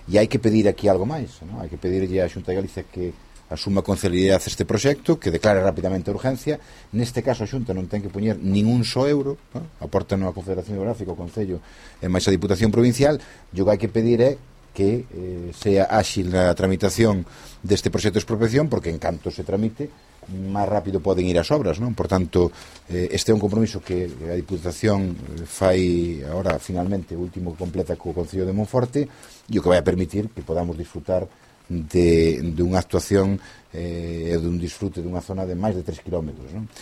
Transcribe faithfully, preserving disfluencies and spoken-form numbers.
e hai que pedir aquí algo máis, non? Hai que pedirlle á Xunta de Galicia que asuma con celeridade este proxecto, que declare rapidamente a urgencia. Neste caso a Xunta non ten que poñer nin un só euro, non? Aporta a Confederación Geográfica, o Concello e máis a Diputación Provincial, e o que hai que pedir é que eh, sea áxil a tramitación deste proxecto de expropiación, porque en canto se tramite máis rápido poden ir as obras, non? Por tanto, eh, este é un compromiso que a Diputación fai agora finalmente, o último que completa co Concello de Monforte, e o que vai a permitir que podamos disfrutar de, de unha actuación e eh, dun disfrute dunha zona de máis de tres kilómetros, non?